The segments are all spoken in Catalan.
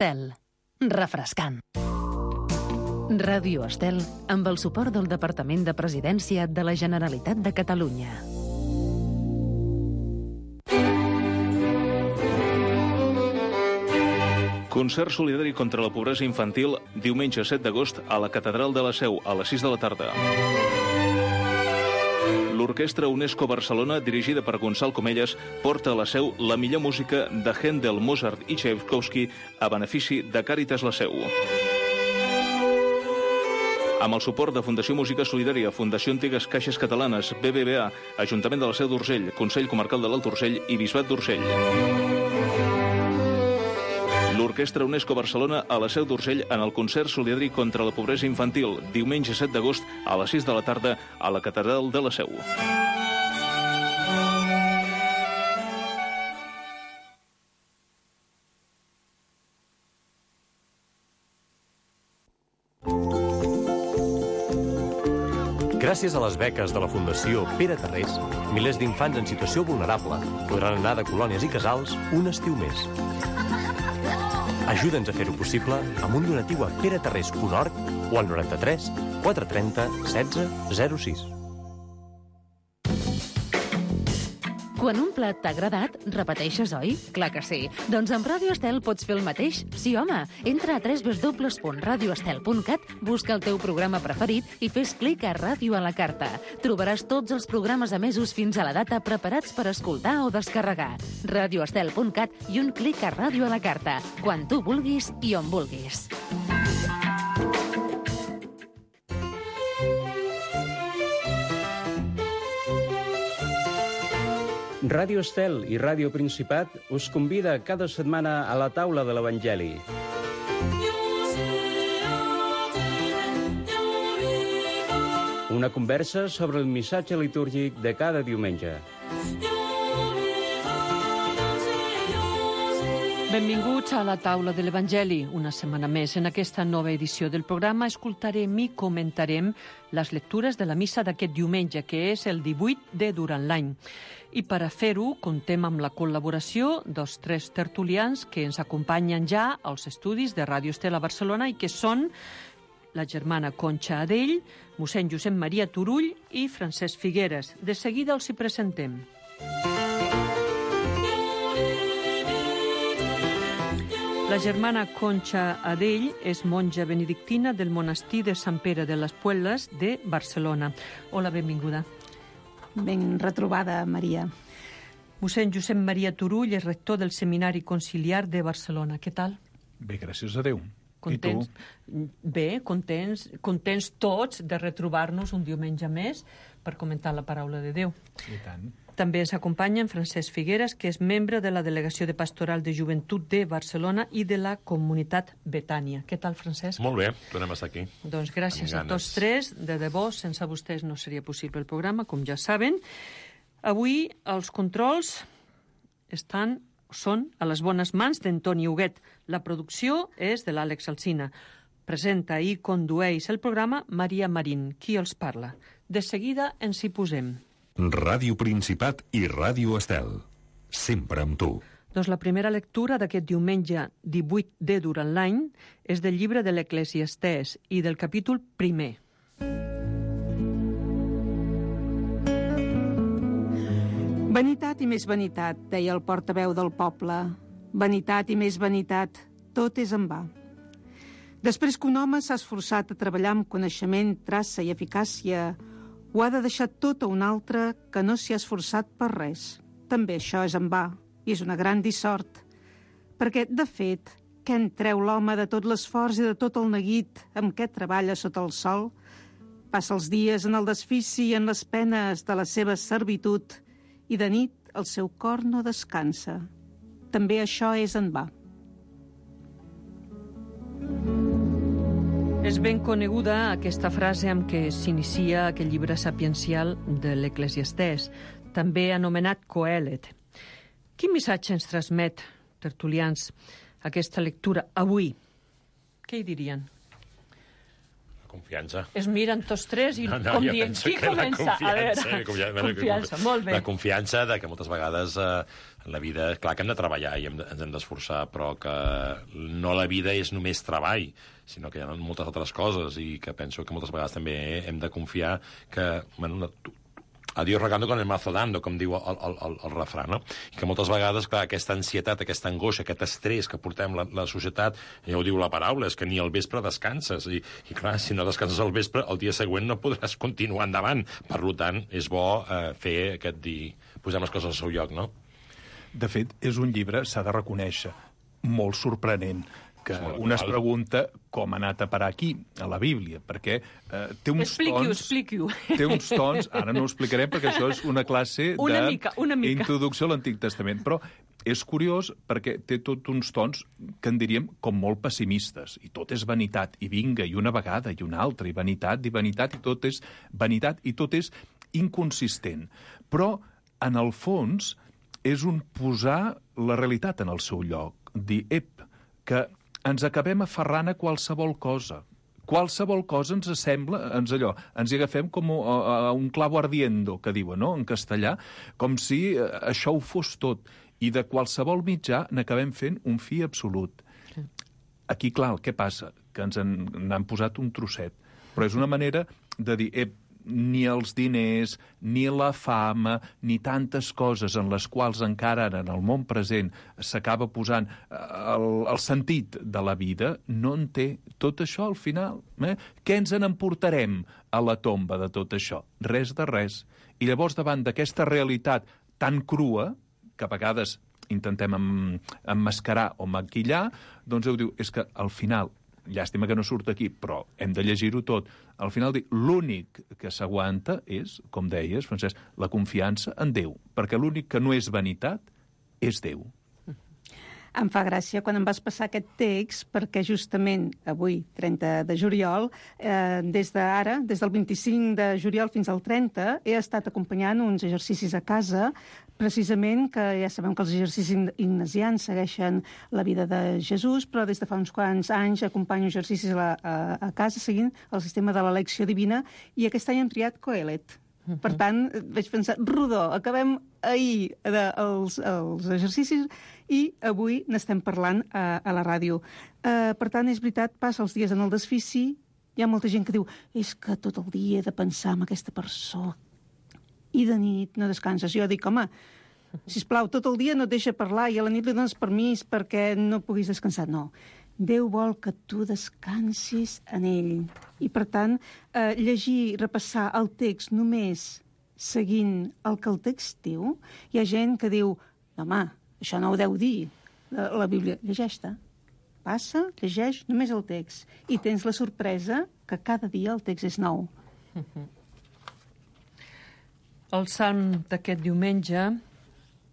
Estel. Refrescant. Ràdio Estel, amb el suport del Departament de Presidència de la Generalitat de Catalunya. Concert solidari contra la pobresa infantil, diumenge 7 d'agost a la Catedral de la Seu, a les 6 de la tarda. L'Orquestra UNESCO Barcelona, dirigida per Gonçal Comelles, porta a la Seu la millor música de Händel, Mozart i Tchaikovsky a benefici de Càritas la Seu. Amb el suport de Fundació Música Solidària, Fundació Antigues Caixes Catalanes, BBVA, Ajuntament de la Seu d'Urgell, Consell Comarcal de l'Alt Urgell i Bisbat d'Urgell. L'Orquestra UNESCO Barcelona a la Seu d'Urgell en el concert solidari contra la pobresa infantil, diumenge 7 d'agost a les 6 de la tarda a la Catedral de la Seu. Gràcies a les beques de la Fundació Pere Tarrés, milers d'infants en situació vulnerable podran anar de colònies i casals un estiu més. Ajuda'ns a fer-ho possible amb un donatiu a peretarrés.org o al 93 430 16 06. Quan un plat t'ha agradat, repeteixes, oi? Clar que sí. Doncs amb Ràdio Estel pots fer el mateix. Sí, home. Entra a www.radioestel.cat, busca el teu programa preferit i fes clic a Ràdio a la carta. Trobaràs tots els programes emesos fins a la data preparats per escoltar o descarregar. Radioestel.cat i un clic a Ràdio a la carta. Quan tu vulguis i on vulguis. Ràdio Estel i Ràdio Principat us convida cada setmana a la taula de l'Evangeli. Una conversa sobre el missatge litúrgic de cada diumenge. Benvinguts a la taula de l'Evangeli. Una setmana més. En aquesta nova edició del programa escoltarem i comentarem les lectures de la missa d'aquest diumenge, que és el 18 de durant l'any. I per a fer-ho, contem amb la col·laboració dels 3 tertulians que ens acompanyen ja als estudis de Ràdio Estel a Barcelona i que són la germana Conxa Adell, mossèn Josep Maria Turull i Francesc Figueres. De seguida els hi presentem. La germana Conxa Adell és monja benedictina del monestir de Sant Pere de les Puelles de Barcelona. Hola, benvinguda. Ben retrobada, Maria. Mossèn Josep Maria Turull és rector del Seminari Conciliar de Barcelona. Què tal? Bé, gràcies a Déu. Contents? I tu? Bé, contents tots de retrobar-nos un diumenge més per comentar la paraula de Déu. I tant. També ens acompanya en Francesc Figueres, que és membre de la Delegació de Pastoral de Joventut de Barcelona i de la Comunitat Betània. Què tal, Francesc? Molt bé, tornem a estar aquí. Doncs gràcies a tots 3. De debò, sense vostès no seria possible el programa, com ja saben. Avui els controls són a les bones mans d'Antoni Huguet. La producció és de l'Àlex Alsina. Presenta i condueix el programa Maria Marín, qui els parla. De seguida ens hi posem. Ràdio Principat i Ràdio Estel. Sempre amb tu. Doncs la primera lectura d'aquest diumenge 18 de durant l'any és del llibre de l'Eclesiastès i del capítol 1. Vanitat i més vanitat, deia el portaveu del poble. Vanitat i més vanitat, tot és en va. Després que un home s'ha esforçat a treballar amb coneixement, traça i eficàcia, ho ha de deixar tot a un altre que no s'hi ha esforçat per res. També això és en va, i és una gran dissort. Perquè, de fet, què en treu l'home de tot l'esforç i de tot el neguit amb què treballa sota el sol? Passa els dies en el desfici i en les penes de la seva servitud, i de nit el seu cor no descansa. També això és en va. És ben coneguda aquesta frase amb què s'inicia aquest llibre sapiencial de l'Eclesiastès, també anomenat Coelet. Quin missatge ens transmet, tertulians, aquesta lectura avui? Què hi dirien? Confiança. Es miren tots tres i com dient, qui comença? A veure, confiança, molt bé. La confiança de que moltes vegades en la vida, clar que hem de treballar i ens hem d'esforçar, però que no la vida és només treball, sinó que hi ha moltes altres coses i que penso que moltes vegades també hem de confiar que, bueno, a Dios rogando con el mazo dando, com diu el refrà, no? I que moltes vegades, clar, aquesta ansietat, aquesta angoixa, aquest estrès que portem la societat, ja ho diu la paraula, és que ni al vespre descanses. I clar, si no descanses al vespre, el dia següent no podràs continuar endavant. Per tant, és bo fer aquest dir, posem les coses al seu lloc, no? De fet, és un llibre, s'ha de reconèixer, molt sorprenent, que un es pregunta com ha anat a parar aquí, a la Bíblia, perquè té uns tons... Expliqui-ho. Té uns tons, ara no ho explicarem perquè això és una classe d'introducció a l'Antic Testament, però és curiós perquè té tots uns tons que en diríem com molt pessimistes, i tot és vanitat, i vinga, i una vegada, i una altra, i vanitat, i tot és vanitat, i tot és inconsistent. Però, en el fons, és un posar la realitat en el seu lloc, dir, que ens acabem aferrant a qualsevol cosa. Qualsevol cosa ens sembla, ens hi agafem com a un clavo ardiendo, que diuen, no?, en castellà, com si això ho fos tot. I de qualsevol mitjà n'acabem fent un fi absolut. Aquí, clar, què passa? Que ens n'han posat un trosset. Però és una manera de dir, ni els diners, ni la fama, ni tantes coses en les quals encara ara en el món present s'acaba posant el sentit de la vida, no en té tot això al final. Què ens n'emportarem a la tomba de tot això? Res de res. I llavors, davant d'aquesta realitat tan crua, que a vegades intentem emmascarar o maquillar, doncs diu, és que al final, llàstima que no surt aquí, però hem de llegir-ho tot. Al final, l'únic que s'aguanta és, com deies, Francesc, la confiança en Déu, perquè l'únic que no és vanitat és Déu. Em fa gràcia quan em vas passar aquest text, perquè justament avui, 30 de juliol, des del 25 de juliol fins al 30, he estat acompanyant uns exercicis a casa, precisament que ja sabem que els exercicis ignasians segueixen la vida de Jesús, però des de fa uns quants anys acompanyo exercicis a casa seguint el sistema de l'elecció divina, i aquest any hem triat Coelet. Per tant, vaig pensar, rodó, acabem ahir els exercicis i avui n'estem parlant a la ràdio. Per tant, és veritat, passa els dies en el desfici, hi ha molta gent que diu, és que tot el dia he de pensar en aquesta persona i de nit no descanses. Jo dic, home, sisplau, tot el dia no et deixa parlar i a la nit li dones permís perquè no puguis descansar. No, Déu vol que tu descansis en ell. I, per tant, llegir, repassar el text només seguint el que el text diu, hi ha gent que diu, home, això no ho deu dir la Bíblia. Llegeix-te. Passa, llegeix només el text. I tens la sorpresa que cada dia el text és nou. El salm d'aquest diumenge,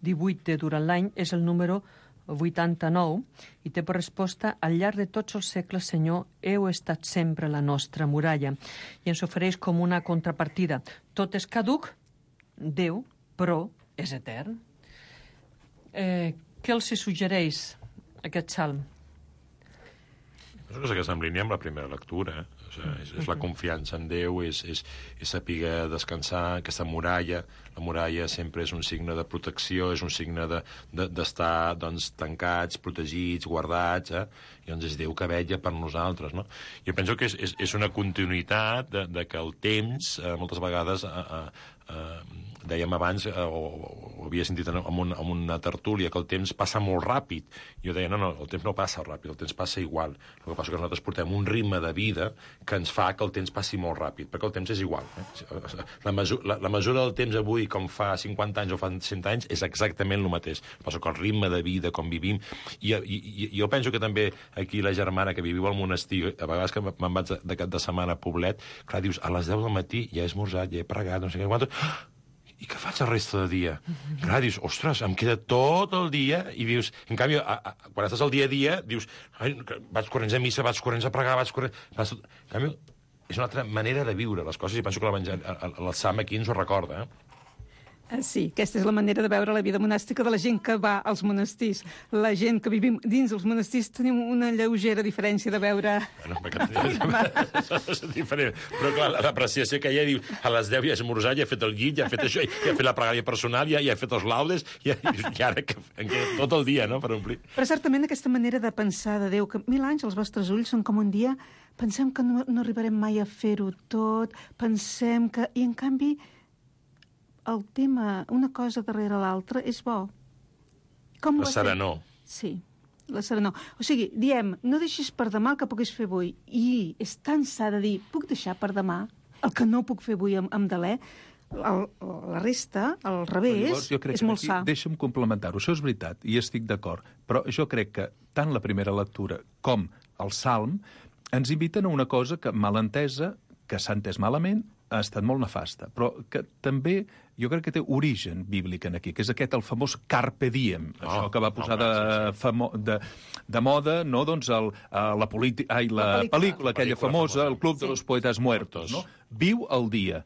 18 de durant l'any, és el número 89, i té per resposta, al llarg de tots els segles, Senyor, heu estat sempre la nostra muralla. I ens ofereix com una contrapartida. Tot és caduc, Déu, però és etern. Què els suggereix aquest salm? És una cosa que està en línia amb la primera lectura. És la confiança en Déu, és saber descansar, aquesta muralla. La muralla sempre és un signe de protecció, és un signe d'estar tancats, protegits, guardats, i doncs és Déu que vetlla per nosaltres, no? Jo penso que és una continuïtat de que el temps, moltes vegades, dèiem abans, o havia sentit en una tertúlia, que el temps passa molt ràpid. Jo deia, no, el temps no passa ràpid, el temps passa igual. El que passa és que nosaltres portem un ritme de vida que ens fa que el temps passi molt ràpid, perquè el temps és igual. La mesura del temps avui, com fa 50 anys o fa 100 anys, és exactament el mateix. El que passa que el ritme de vida, com vivim... I jo penso que també aquí la germana que viviu al monestir, a vegades que me'n vaig de cap de setmana a Poblet, clar, dius, a les 10 del matí ja he esmorzat, ja he pregat, no sé què, quantos... I què faig el resta del dia? Clar, dius, ostres, em queda tot el dia, i dius, en canvi, quan estàs al dia a dia, dius, vaig corrents a missa, vaig corrents a pregar, vaig corrents... En canvi, és una altra manera de viure les coses, i penso que el Sam aquí ens ho recorda, Sí, aquesta és la manera de veure la vida monàstica de la gent que va als monestirs. La gent que vivim dins els monestirs tenim una lleugera diferència de veure... Bueno, és diferent. Però clar, l'apreciació que hi ha, diu, a les 10 ja he esmorzat, ja he fet el llit, ja he fet això, ja he fet la pregària personal, ja he fet els laudes, i ara que tot el dia, no?, per omplir. Però certament aquesta manera de pensar de Déu, que 1000 anys els vostres ulls són com un dia, pensem que no arribarem mai a fer-ho tot, pensem que... I en canvi... el tema, una cosa darrere l'altra, és bo. La serenor. Sí, la serenor. O sigui, diem, no deixis per demà el que puguis fer avui. I és tan sa de dir, puc deixar per demà el que no puc fer avui amb Dalè? La resta, al revés, és molt sa. Deixa'm complementar-ho. Això és veritat, i estic d'acord. Però jo crec que tant la primera lectura com el Salm ens inviten a una cosa que, mal entesa, que s'ha entès malament, ha estat molt nefasta, però que també jo crec que té origen bíblic en aquí, que és aquest el famós carpe diem, això que va posar de moda, no, doncs la pel·lícula aquella famosa, el Club de los Poetas Muertos, no? Viu el dia.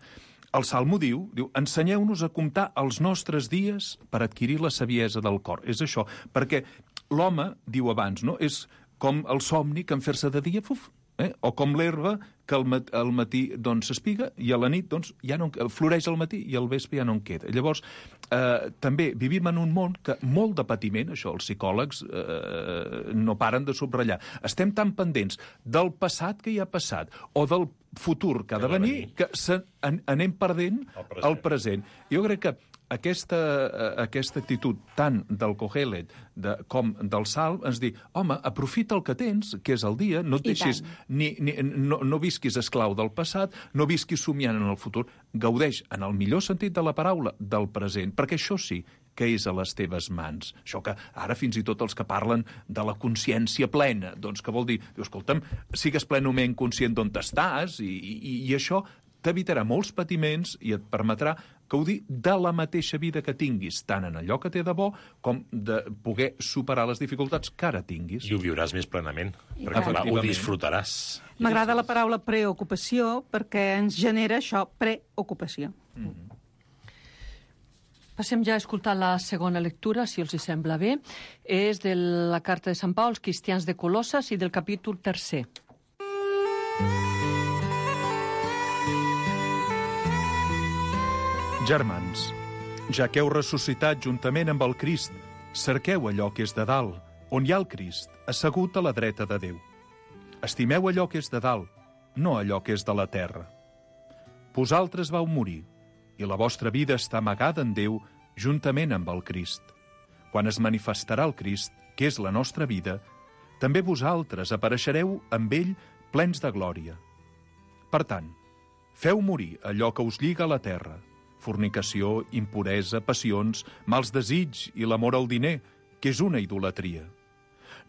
El Salmo diu, ensenyeu-nos a comptar els nostres dies per adquirir la saviesa del cor. És això, perquè l'home, diu abans, no, és com el somni que en fer-se de dia, o com l'herba que al matí s'espiga i a la nit ja no floreix al matí i al vespre ja no en queda. Llavors, també vivim en un món que molt de patiment, això els psicòlegs no paren de subratllar. Estem tan pendents del passat que ja ha passat o del futur que ha de venir que anem perdent el present. Jo crec que aquesta actitud tant del Kohelet com del Salm ens diu, home, aprofita el que tens, que és el dia, no et deixis, no visquis esclau del passat, no visquis somiant en el futur, gaudeix, en el millor sentit de la paraula, del present, perquè això sí que és a les teves mans. Això que ara fins i tot els que parlen de la consciència plena, doncs que vol dir, escolta'm, sigues plenament conscient d'on estàs i això t'evitarà molts patiments i et permetrà gaudir de la mateixa vida que tinguis, tant en allò que té de bo com de poder superar les dificultats que ara tinguis. I ho viuràs més plenament, perquè ho disfrutaràs. M'agrada la paraula preocupació perquè ens genera això, preocupació. Passem ja a escoltar la segona lectura, si els hi sembla bé. És de la carta de Sant Pau als cristians de Colosses i del capítol 3. Germans, ja que heu ressuscitat juntament amb el Crist, cerqueu allò que és de dalt, on hi ha el Crist, assegut a la dreta de Déu. Estimeu allò que és de dalt, no allò que és de la terra. Vosaltres vau morir, i la vostra vida està amagada en Déu juntament amb el Crist. Quan es manifestarà el Crist, que és la nostra vida, també vosaltres apareixereu amb ell plens de glòria. Per tant, feu morir allò que us lliga a la terra, fornicació, impuresa, passions, mals desig i l'amor al diner, que és una idolatria.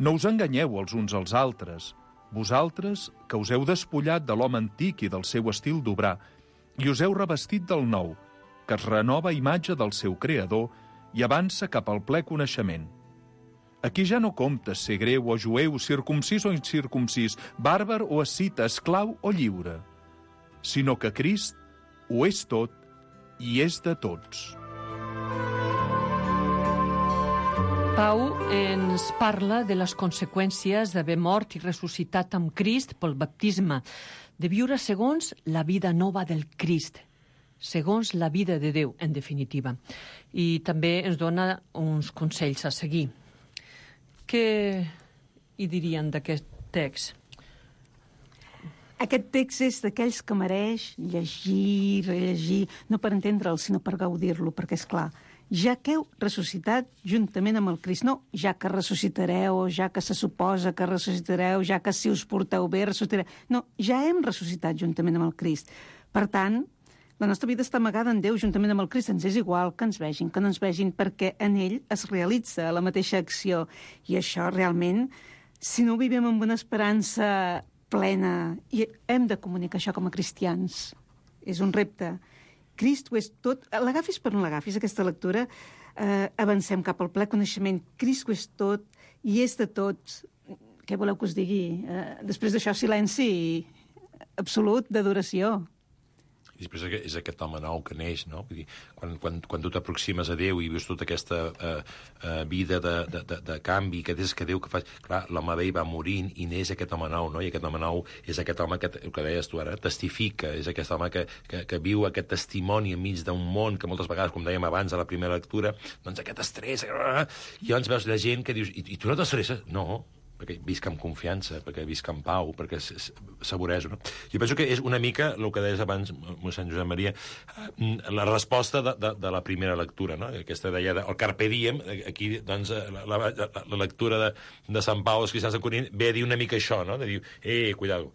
No us enganyeu els uns als altres, vosaltres que us heu despullat de l'home antic i del seu estil d'obrar, i us heu revestit del nou, que es renova a imatge del seu creador i avança cap al ple coneixement. Aquí ja no compta ser greu o jueu, circumcís o incircumcís, bàrbar o escita, esclau o lliure, sinó que Crist ho és tot i és de tots. Pau ens parla de les conseqüències d'haver mort i ressuscitat amb Crist pel baptisme, de viure segons la vida nova del Crist, segons la vida de Déu, en definitiva. I també ens dona uns consells a seguir. Què hi dirien d'aquest text? Aquest text és d'aquells que mereix llegir, rellegir, no per entendre'l, sinó per gaudir-lo, perquè, és clar, ja que heu ressuscitat juntament amb el Crist, no ja que ressuscitareu, ja que se suposa que ressuscitareu, ja que si us porteu bé ressuscitareu, no, ja hem ressuscitat juntament amb el Crist. Per tant, la nostra vida està amagada en Déu juntament amb el Crist, ens és igual que ens vegin, que no ens vegin, perquè en ell es realitza la mateixa acció. I això realment, si no ho vivim amb una esperança plena, i hem de comunicar això com a cristians. És un repte. Crist ho és tot. L'agafis per on l'agafis, aquesta lectura, avancem cap al ple coneixement. Crist ho és tot i és de tots. Què voleu que us digui? Després d'això, silenci absolut d'adoració. I després és aquest home nou que neix, no? Vull dir, quan tu t'aproximes a Déu i vius tota aquesta vida de canvi, que des que Déu que fas... Clar, l'home vell va morint i neix aquest home nou, no? I aquest home nou és aquest home que, el que deies tu ara, testifica, és aquest home que viu aquest testimoni enmig d'un món que moltes vegades, com dèiem abans a la primera lectura, doncs aquest estrès... I llavors veus la gent que dius, i tu no t'estresses? No, perquè visc amb confiança, perquè visc amb pau, perquè saborejo, no? Jo penso que és una mica, el que deies abans, mossèn Josep Maria, la resposta de la primera lectura, no? Aquesta deia, el Carpe Diem, aquí, doncs, la lectura de Sant Pau, els cristians de Corint, ve a dir una mica això, no? De dir, cuidado,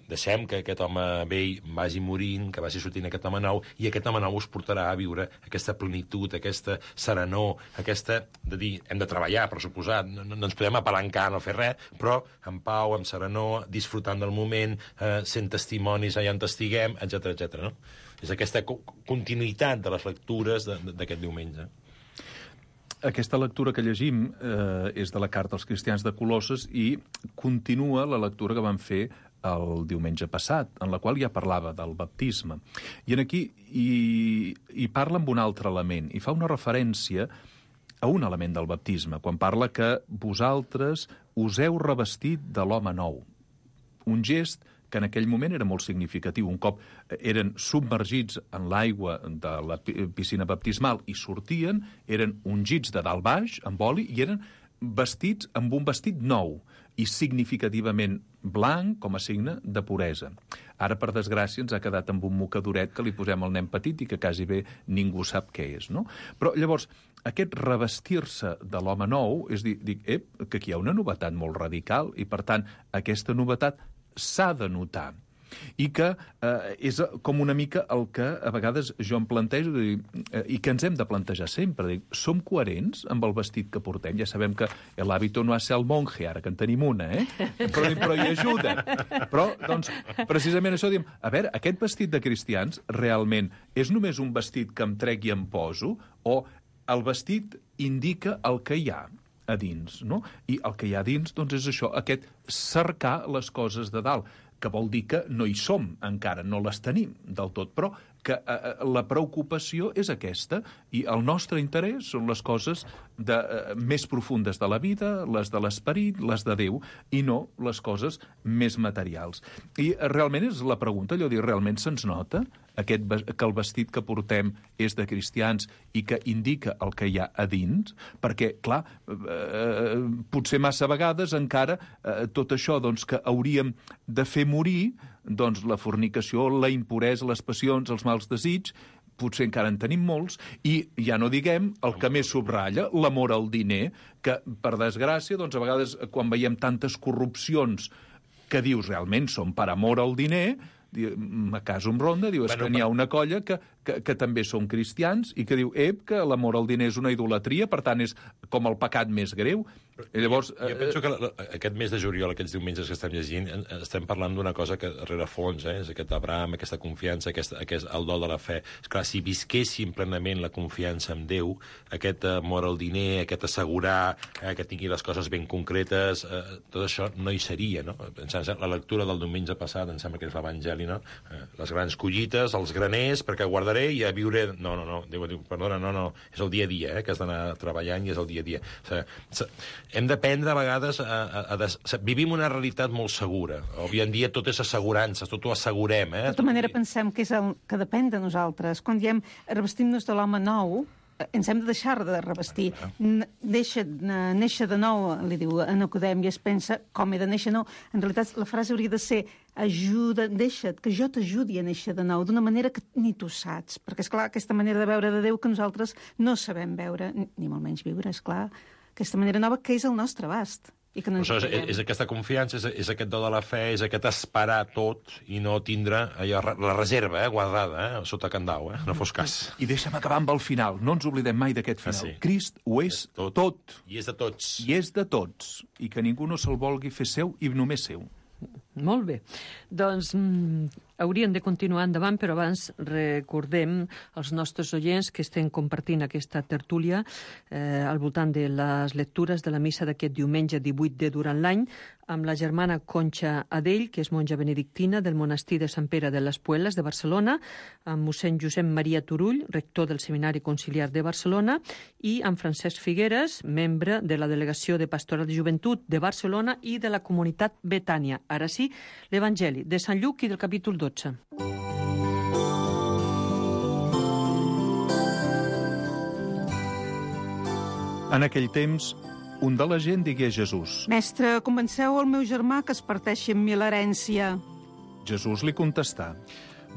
deixem que aquest home vell vagi morint, que vagi sortint aquest home nou, i aquest home nou us portarà a viure aquesta plenitud, aquesta serenor, aquesta de dir, hem de treballar, per suposat, no ens podem apalancar, no fer res, però amb pau, amb serenor, disfrutant del moment, sent testimonis allà on estiguem, etc. No? És aquesta continuïtat de les lectures d'aquest diumenge. Aquesta lectura que llegim és de la Carta als Cristians de Colosses i continua la lectura que vam fer el diumenge passat, en la qual ja parlava del baptisme. I aquí hi parla amb un altre element, i fa una referència a un element del baptisme, quan parla que vosaltres us heu revestit de l'home nou. Un gest que en aquell moment era molt significatiu. Un cop eren submergits en l'aigua de la piscina baptismal i sortien, eren ungits de dalt baix, amb oli, i eren vestits amb un vestit nou i significativament blanc com a signe de puresa. Ara, per desgràcia, ens ha quedat amb un mocadoret que li posem al nen petit i que quasi bé ningú sap què és, no? Però, llavors, aquest revestir-se de l'home nou és dir, que aquí hi ha una novetat molt radical i, per tant, aquesta novetat s'ha de notar. I que és com una mica el que a vegades jo em plantejo i que ens hem de plantejar sempre. Som coherents amb el vestit que portem? Ja sabem que l'hàbito no ha de ser el monje, ara que en tenim una, però hi ajuda. Però, doncs, precisament això diem, a veure, aquest vestit de cristians realment és només un vestit que em trec i em poso, o el vestit indica el que hi ha a dins, no? I el que hi ha a dins, doncs, és això, aquest cercar les coses de dalt, que vol dir que no hi som encara, no les tenim del tot, però que la preocupació és aquesta, i el nostre interès són les coses més profundes de la vida, les de l'esperit, les de Déu, i no les coses més materials. I realment és la pregunta, allò dir, realment se'ns nota que el vestit que portem és de cristians i que indica el que hi ha a dins? Perquè, clar, potser massa vegades encara tot això doncs, que hauríem de fer morir, doncs la fornicació, la impuresa, les passions, els mals desigs, potser encara en tenim molts, i ja no diguem el que més subratlla, l'amor al diner, que, per desgràcia, doncs a vegades quan veiem tantes corrupcions que dius realment són per amor al diner, a casa em ronda, diu, és que n'hi ha una colla que també són cristians i que diu, que l'amor al diner és una idolatria, per tant és com el pecat més greu. I llavors, jo penso que aquest mes de juliol, aquests diumenges que estem llegint, estem parlant d'una cosa que darrere fons, és aquest Abraham, aquesta confiança, el dol de la fe. Esclar, si visquéssim plenament la confiança en Déu, aquest amor al diner, aquest assegurar que tingui les coses ben concretes, tot això no hi seria, no? La lectura del diumenge passat, em sembla que és l'Evangeli, no? Les grans collites, els graners, perquè guardaré i a viure... No, Déu diu, perdona, no, és el dia a dia, que has d'anar treballant i és el dia a dia. O sigui, hem d'aprendre a vegades vivim una realitat molt segura. Avui en dia tot és assegurança, tot ho assegurem. De tota manera pensem que és el que depèn de nosaltres. Quan diem revestim-nos de l'home nou, ens hem de deixar de revestir. Néixer de nou, li diu a Nicodem, i es pensa com he de néixer nou. En realitat la frase hauria de ser deixa't, que jo t'ajudi a néixer de nou, d'una manera que ni tu saps. Perquè, esclar, aquesta manera de veure de Déu que nosaltres no sabem veure, ni molt menys viure, esclar, aquesta manera nova que és el nostre abast. I que no és aquesta confiança, és aquest do de la fe, és aquest esperar tot i no tindre allò, la reserva guardada sota candau, no fos cas. I deixa'm acabar amb el final, no ens oblidem mai d'aquest final. Sí. Crist ho és tot. I és de tots. I és de tots. I que ningú no se'l vulgui fer seu i només seu. Molt bé. Doncs Hauríem de continuar endavant, però abans recordem als nostres oients que estem compartint aquesta tertúlia al voltant de les lectures de la missa d'aquest diumenge 18 de durant l'any, amb la germana Conxa Adell, que és monja benedictina del monestir de Sant Pere de les Puelles de Barcelona, amb mossèn Josep Maria Turull, rector del Seminari Conciliar de Barcelona, i amb Francesc Figueres, membre de la Delegació de Pastoral de Joventut de Barcelona i de la Comunitat Betània. Ara sí, l'Evangeli de Sant Lluc i del capítol 12. En aquell temps, un de la gent digué a Jesús: Mestre, convenceu el meu germà que es parteixi amb mi l'herència. Jesús li contestà: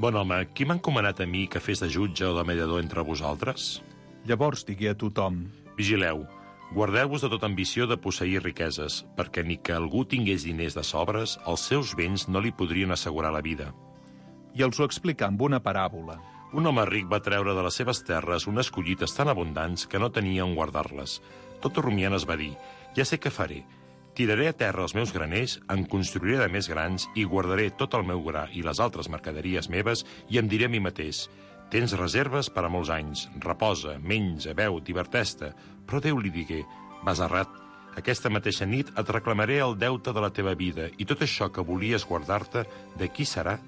Bon home, qui m'ha encomanat a mi que fes de jutge o de mediador entre vosaltres? Llavors digué a tothom: Vigileu, guardeu-vos de tota ambició de posseir riqueses, perquè ni que algú tingués diners de sobres, els seus béns no li podrien assegurar la vida. I els ho explicà amb una paràbola. Un home ric va treure de les seves terres unes collites tan abundants que no tenia on guardar-les. Tot rumiant es va dir: ja sé què faré. Tiraré a terra els meus graners, en construiré de més grans i guardaré tot el meu gra i les altres mercaderies meves i em diré a mi mateix: tens reserves per a molts anys, reposa, menja, beu, diverteix-te. Però Déu li digué: vas errat. Aquesta mateixa nit et reclamaré el deute de la teva vida i tot això que volies guardar-te, de qui serà?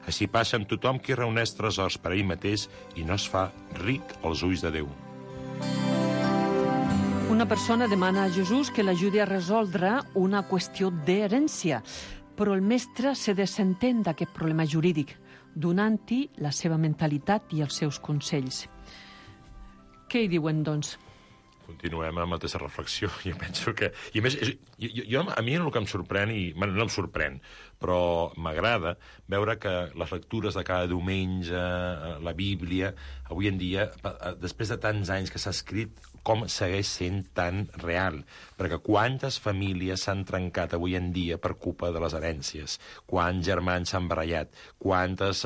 Així passa amb tothom qui reuneix tresors per a ell mateix i no es fa ric als ulls de Déu. Una persona demana a Jesús que l'ajudi a resoldre una qüestió d'herència, però el mestre se desentén d'aquest problema jurídic, donant-hi la seva mentalitat i els seus consells. Què hi diuen, doncs? Continuem amb aquesta reflexió. Jo penso que... I a més, a mi el que em sorprèn, no em sorprèn, però m'agrada veure que les lectures de cada diumenge, la Bíblia, avui en dia, després de tants anys que s'ha escrit, com segueix sent tan real. Perquè quantes famílies s'han trencat avui en dia per culpa de les herències, quants germans s'han barallat, quantes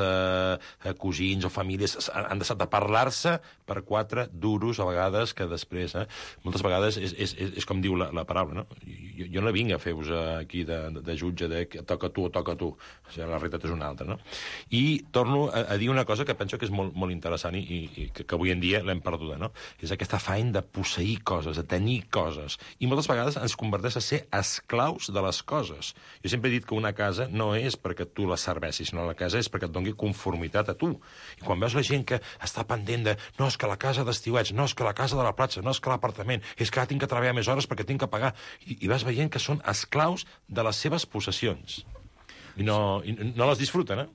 cosins o famílies han deixat de parlar-se per 4 duros a vegades que després... Moltes vegades és com diu la paraula, no? Jo no vinc a fer-vos aquí de jutge de toca tu o toca tu. O sigui, la realitat és una altra, no? I torno a dir una cosa que penso que és molt interessant i que avui en dia l'hem perduda, no? És aquest afany de posseir coses, de tenir coses. I moltes vegades ens converteix a ser esclaus de les coses. Jo sempre he dit que una casa no és perquè tu la serveixis, sinó la casa és perquè et doni conformitat a tu. I quan veus la gent que està pendent de no, és que la casa d'estiuets, no, és que la casa de la platja, no, és que l'apartament, és que ara tinc que treballar més hores perquè tinc que pagar. I vas veient que són esclaus de les seves possessions. I no les disfruten,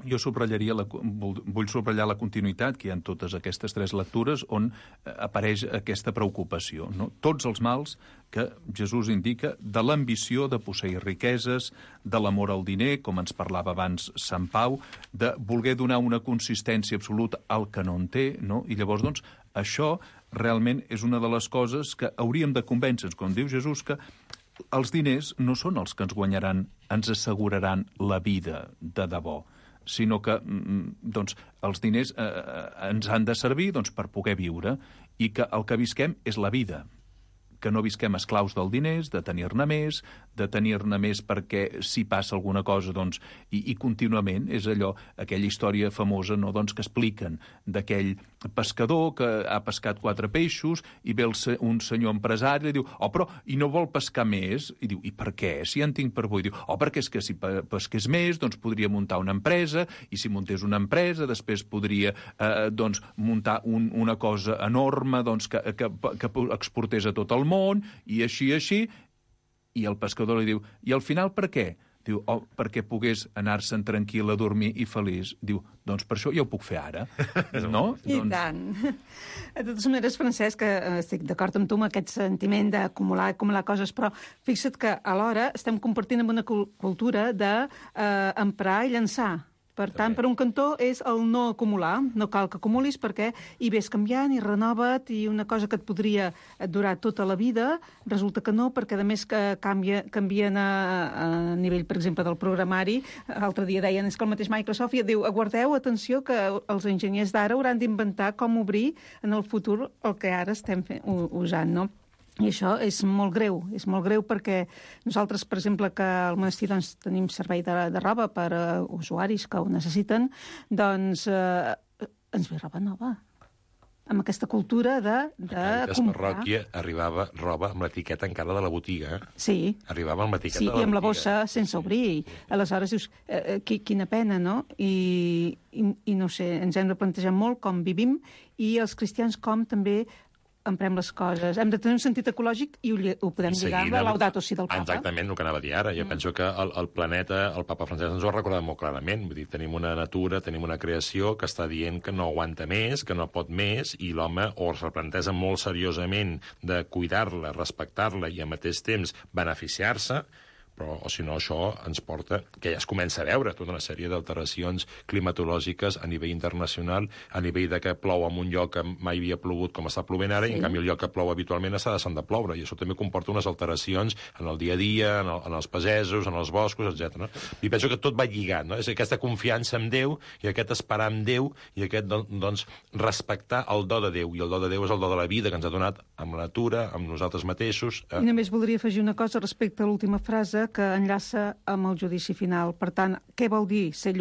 Jo vull subratllar la continuïtat que hi ha en totes aquestes 3 lectures on apareix aquesta preocupació. No? Tots els mals que Jesús indica de l'ambició de posseir riqueses, de l'amor al diner, com ens parlava abans Sant Pau, de voler donar una consistència absoluta al que no en té, no? I llavors, doncs, això realment és una de les coses que hauríem de convèncer-nos, com diu Jesús, que els diners no són els que ens guanyaran, ens asseguraran la vida de debò, sinó que doncs, els diners ens han de servir doncs, per poder viure i que el que visquem és la vida, que no visquem esclaus del diners, de tenir-ne més perquè si passa alguna cosa, doncs, i contínuament és allò, aquella història famosa, no, doncs, que expliquen d'aquell pescador que ha pescat 4 peixos i ve un senyor empresari i diu, però, i no vol pescar més? I diu, i per què? Si ja en tinc per avui. Diu, perquè és que si pesqués més, doncs podria muntar una empresa, i si muntés una empresa, després podria doncs, muntar una cosa enorme doncs, que exportés a tot el món, i així, i el pescador li diu, i al final per què? Diu, perquè pogués anar-se'n tranquil a dormir i feliç. Diu, doncs per això ja ho puc fer ara, no? I tant. De totes maneres, Francesc, estic d'acord amb tu amb aquest sentiment d'acumular coses, però fixa't que alhora estem compartint amb una cultura d'emprar i llançar. Per tant, per un cantó és el no acumular. No cal que acumulis perquè hi ves canviant i renova't i una cosa que et podria durar tota la vida resulta que no, perquè a més que canvien a nivell, per exemple, del programari. L'altre dia deien és que el mateix Microsoft diu, aguardeu, atenció, que els enginyers d'ara hauran d'inventar com obrir en el futur el que ara estem usant, no? I això és molt greu perquè nosaltres, per exemple, que al monestir doncs, tenim servei de roba per a usuaris que ho necessiten, doncs ens ve roba nova. Amb aquesta cultura de Càritas comprar. Parròquia arribava roba amb l'etiqueta encara de la botiga. Sí. Arribava amb l'etiqueta de la botiga. Sí, i amb la bossa sense obrir. Aleshores dius, quina pena, no? I no sé, ens hem de plantejar molt com vivim i els cristians com també emprem les coses. Hem de tenir un sentit ecològic i ho podem lligar amb la Laudato Si del Papa. Exactament, el que anava a dir ara. Jo penso que el planeta, el Papa Francesc ens ho ha recordat molt clarament. Vull dir, tenim una natura, tenim una creació que està dient que no aguanta més, que no pot més, i l'home o es replantesa molt seriosament de cuidar-la, respectar-la i al mateix temps beneficiar-se, però, o si no, això ens porta, que ja es comença a veure tota una sèrie d'alteracions climatològiques a nivell internacional, a nivell de que plou en un lloc que mai havia plogut com està plovent ara, i en canvi el lloc que plou habitualment està deixant de ploure, i això també comporta unes alteracions en el dia a dia, en els pagesos, en els boscos, etc. I penso que tot va lligat, no? És aquesta confiança en Déu, i aquest esperar en Déu, i aquest, doncs, respectar el do de Déu, i el do de Déu és el do de la vida que ens ha donat amb la natura, amb nosaltres mateixos. I només voldria afegir una cosa respecte a l'última frase, que enllaça amb el judici final. Per tant, què vol dir ser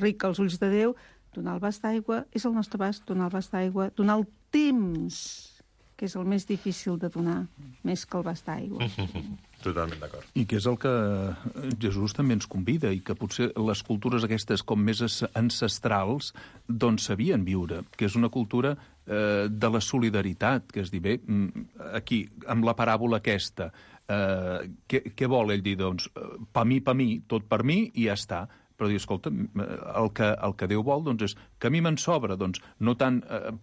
ric als ulls de Déu? Donar el bast d'aigua és el nostre bast, donar el bast d'aigua, donar el temps, que és el més difícil de donar, més que el bast d'aigua. Totalment d'acord. I que és el que Jesús també ens convida, i que potser les cultures aquestes com més ancestrals doncs sabien viure, que és una cultura de la solidaritat, que és dir, bé, aquí, amb la paràbola aquesta, què vol ell dir? Doncs, pa mi, tot per mi, i ja està. Però dir, escolta, el que Déu vol doncs, és que a mi me'n sobra, doncs, no tant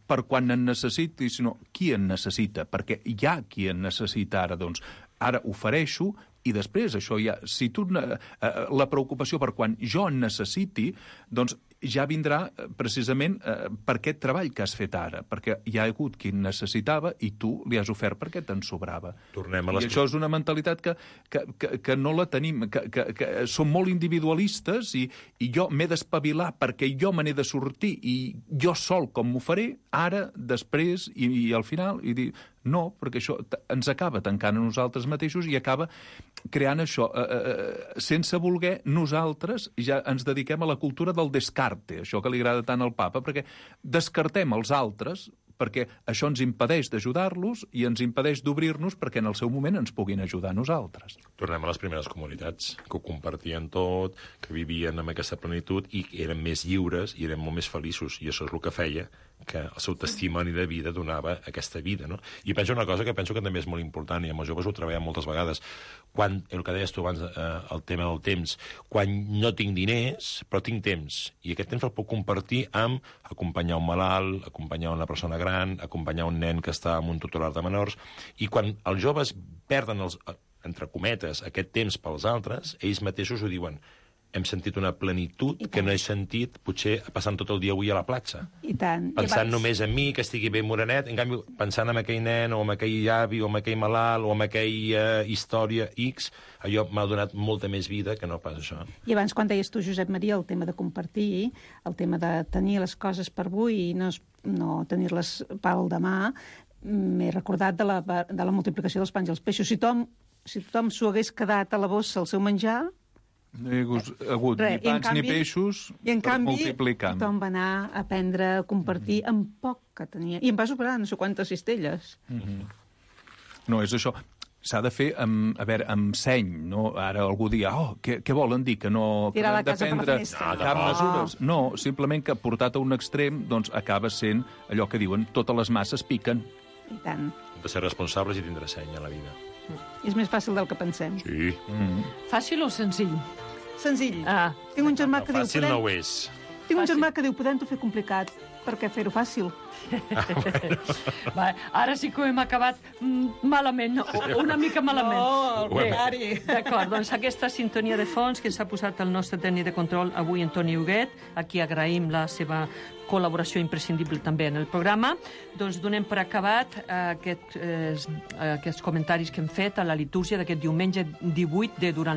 per quan en necessiti, sinó qui en necessita, perquè hi ha qui en necessita ara, doncs, ara ofereixo, i després això ja, si tu la preocupació per quan jo en necessiti, doncs ja vindrà precisament per aquest treball que has fet ara, perquè hi ha hagut qui necessitava i tu li has ofert perquè te'n sobrava. I això és una mentalitat que no la tenim, que som molt individualistes i jo m'he d'espavilar perquè jo me n'he de sortir i jo sol com m'ho faré, ara, després i al final, i dir, no, perquè això ens acaba tancant a nosaltres mateixos i acaba creant això. Sense voler, nosaltres ja ens dediquem a la cultura del descarte, això que li agrada tant al Papa, perquè descartem els altres, perquè això ens impedeix d'ajudar-los i ens impedeix d'obrir-nos perquè en el seu moment ens puguin ajudar a nosaltres. Tornem a les primeres comunitats, que ho compartien tot, que vivien amb aquesta plenitud i eren més lliures i eren molt més feliços, i això és el que feia que el seu testimoni de vida donava aquesta vida, no? I penso una cosa que penso que també és molt important, i amb els joves ho treballem moltes vegades, quan, el que deies tu abans, el tema del temps, quan no tinc diners, però tinc temps, i aquest temps el puc compartir amb acompanyar un malalt, acompanyar una persona gran, acompanyar un nen que està en un tutelar de menors, i quan els joves perden, entre cometes, aquest temps pels altres, ells mateixos ho diuen, hem sentit una plenitud que no he sentit potser passant tot el dia avui a la platja. I tant. Pensant només en mi, que estigui ben morenet, en canvi, pensant en aquell nen, o en aquell avi, o en aquell malalt, o en aquella història X, allò m'ha donat molta més vida que no pas això. I abans, quan deies tu, Josep Maria, el tema de compartir, el tema de tenir les coses per avui i no tenir-les pel demà, m'he recordat de la multiplicació dels pans i els peixos. Si tothom s'ho hagués quedat a la bossa el seu menjar, no hi ha hagut ni pans ni peixos per multiplicar. I en canvi, tothom va anar a aprendre a compartir amb poc que tenia. I em va sobrar no sé quantes cistelles. No, és això. S'ha de fer amb seny, no? Ara algú dirà, què volen dir? Que no tirar la casa per la finestra. Cap mesures. No, simplement que portat a un extrem doncs acaba sent allò que diuen, totes les masses piquen. I tant. Hem de ser responsables i tindre seny a la vida. És més fàcil del que pensem. Sí. Fàcil o senzill? Senzill. Tinc un germà que diu... Fàcil no ho és. Tinc un germà que diu, podem-ho fer complicat. Per què fer-ho fàcil? Va, ara sí que ho hem acabat malament, una mica malament. No, al contrari. D'acord, doncs aquesta sintonia de fons que ens ha posat el nostre tècnic de control avui, Antoni Huguet, a qui agraïm la seva col·laboració imprescindible també en el programa, doncs donem per acabat aquests comentaris que hem fet a la litúrgia d'aquest diumenge 18 de durant